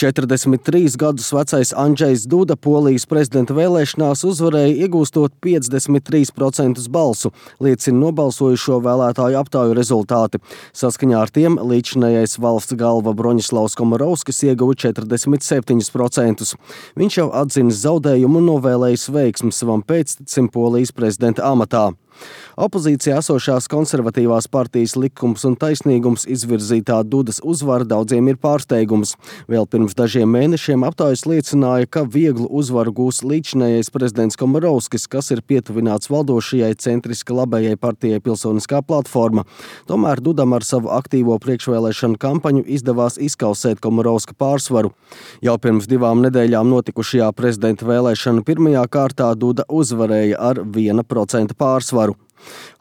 43 gadus vecais Andžejs Duda Polijas prezidenta vēlēšanās uzvarēja, iegūstot 53% balsu, liecina nobalsojušo vēlētāju aptauju rezultāti. Saskaņā ar tiem līdzinājais valsts galva Broņislavs Komorovskis ieguva 47%. Viņš jau atzinis zaudējumu un novēlējis veiksmi savam pēctecim Polijas prezidenta amatā. Opozīcijā esošās konservatīvās partijas Likums un taisnīgums izvirzītā Dudas uzvara daudziem ir pārsteigums. Vēl pirms dažiem mēnešiem aptaujas liecināja, ka vieglu uzvaru gūs līdzinājais prezidents Komorovskis, kas ir pietuvināts valdošajai centriska labējai partijai Pilsoniskā platforma. Tomēr Dudam ar savu aktīvo priekšvēlēšanu kampaņu izdevās izkausēt Komorovska pārsvaru. Jau pirms 2 nedēļām notikušajā prezidenta vēlēšanu pirmajā kārtā Duda uzvarēja ar 1% pārsvaru.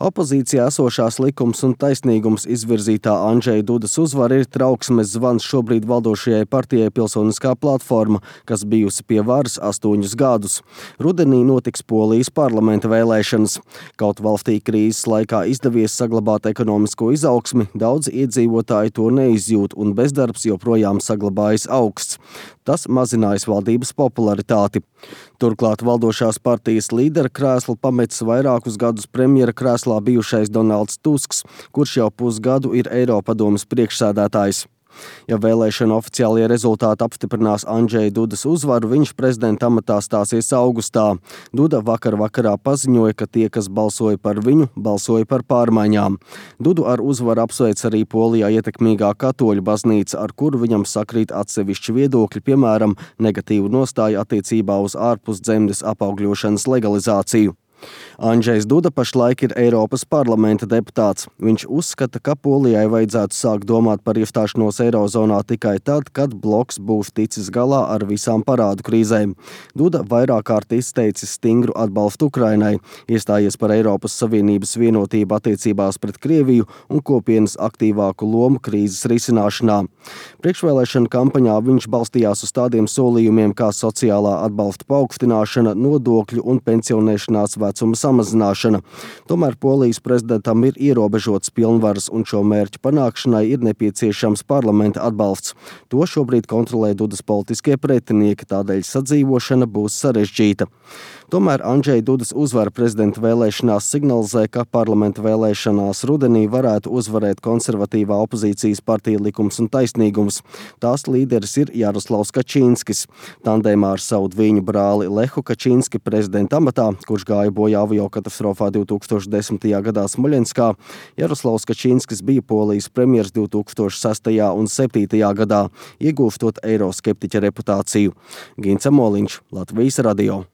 Opozīcijā esošās Likums un taisnīgums izvirzītā Andžeja Dudas uzvara ir trauksmes zvans šobrīd valdošajai partijai Pilsoniskā platforma, kas bijusi pie varas 8 gadus. Rudenī notiks Polijas parlamenta vēlēšanas. Kaut valstī krīzes laikā izdevies saglabāt ekonomisko izaugsmi, daudzi iedzīvotāji to neizjūt un bezdarbs joprojām saglabājas augsts. Tas mazinājis valdības popularitāti. Turklāt valdošās partijas līdera krēslu pametis vairākus gadus premjera krēslā bijušais Donalds Tusks, kurš jau pusgadu ir Eiropadomes priekšsēdētājs. Ja vēlēšana oficiālie rezultāti apstiprinās Andžeja Dudas uzvaru, viņš prezidenta amatā stāsies augustā. Duda vakarā paziņoja, ka tie, kas balsoja par viņu, balsoja par pārmaiņām. Dudu ar uzvaru apsveic arī Polijā ietekmīgā katoļu baznīca, ar kuru viņam sakrīt atsevišķi viedokļi, piemēram, negatīvu nostāju attiecībā uz ārpusdzemdes apaugļošanas legalizāciju. Andžejs Duda pašlaik ir Eiropas parlamenta deputāts. Viņš uzskata, ka Polijai vajadzētu sākt domāt par iestāšanos Eirozonā tikai tad, kad bloks būs ticis galā ar visām parādu krīzēm. Duda vairāk kārt izteicis stingru atbalstu Ukrainai, iestājies par Eiropas Savienības vienotību attiecībās pret Krieviju un kopienas aktīvāku lomu krīzes risināšanā. Priekšvēlēšana kampaņā viņš balstījās uz tādiem solījumiem kā sociālā atbalsta paaugstināšana, nodokļu un pensionēšanās vecuma samazināšana. Tomēr Polijas prezidentam ir ierobežots pilnvaras un šo mērķu panākšanai ir nepieciešams parlamenta atbalsts. To šobrīd kontrolē Dudas politiskie pretinieki, tādēļ sadzīvošana būs sarežģīta. Tomēr Andžeja Dudas uzvara prezidenta vēlēšanās signalizē, ka parlamenta vēlēšanās rudenī varētu uzvarēt konservatīvā opozīcijas partija Likums un taisnīgums. Tās līderis ir Jaroslavs Kačinskis. Tandēmā ar savu dviņu brāli Lehu Kačinski prezidenta amatā, kurš gāja bojā aviokatastrofā 2010. gadā Smoļenskā, Jaroslavs Kačinskis bija Polijas premjers 2006. un 2007. gadā, iegūstot eiroskeptiķa reputāciju. Gints Amoliņš, Latvijas radio.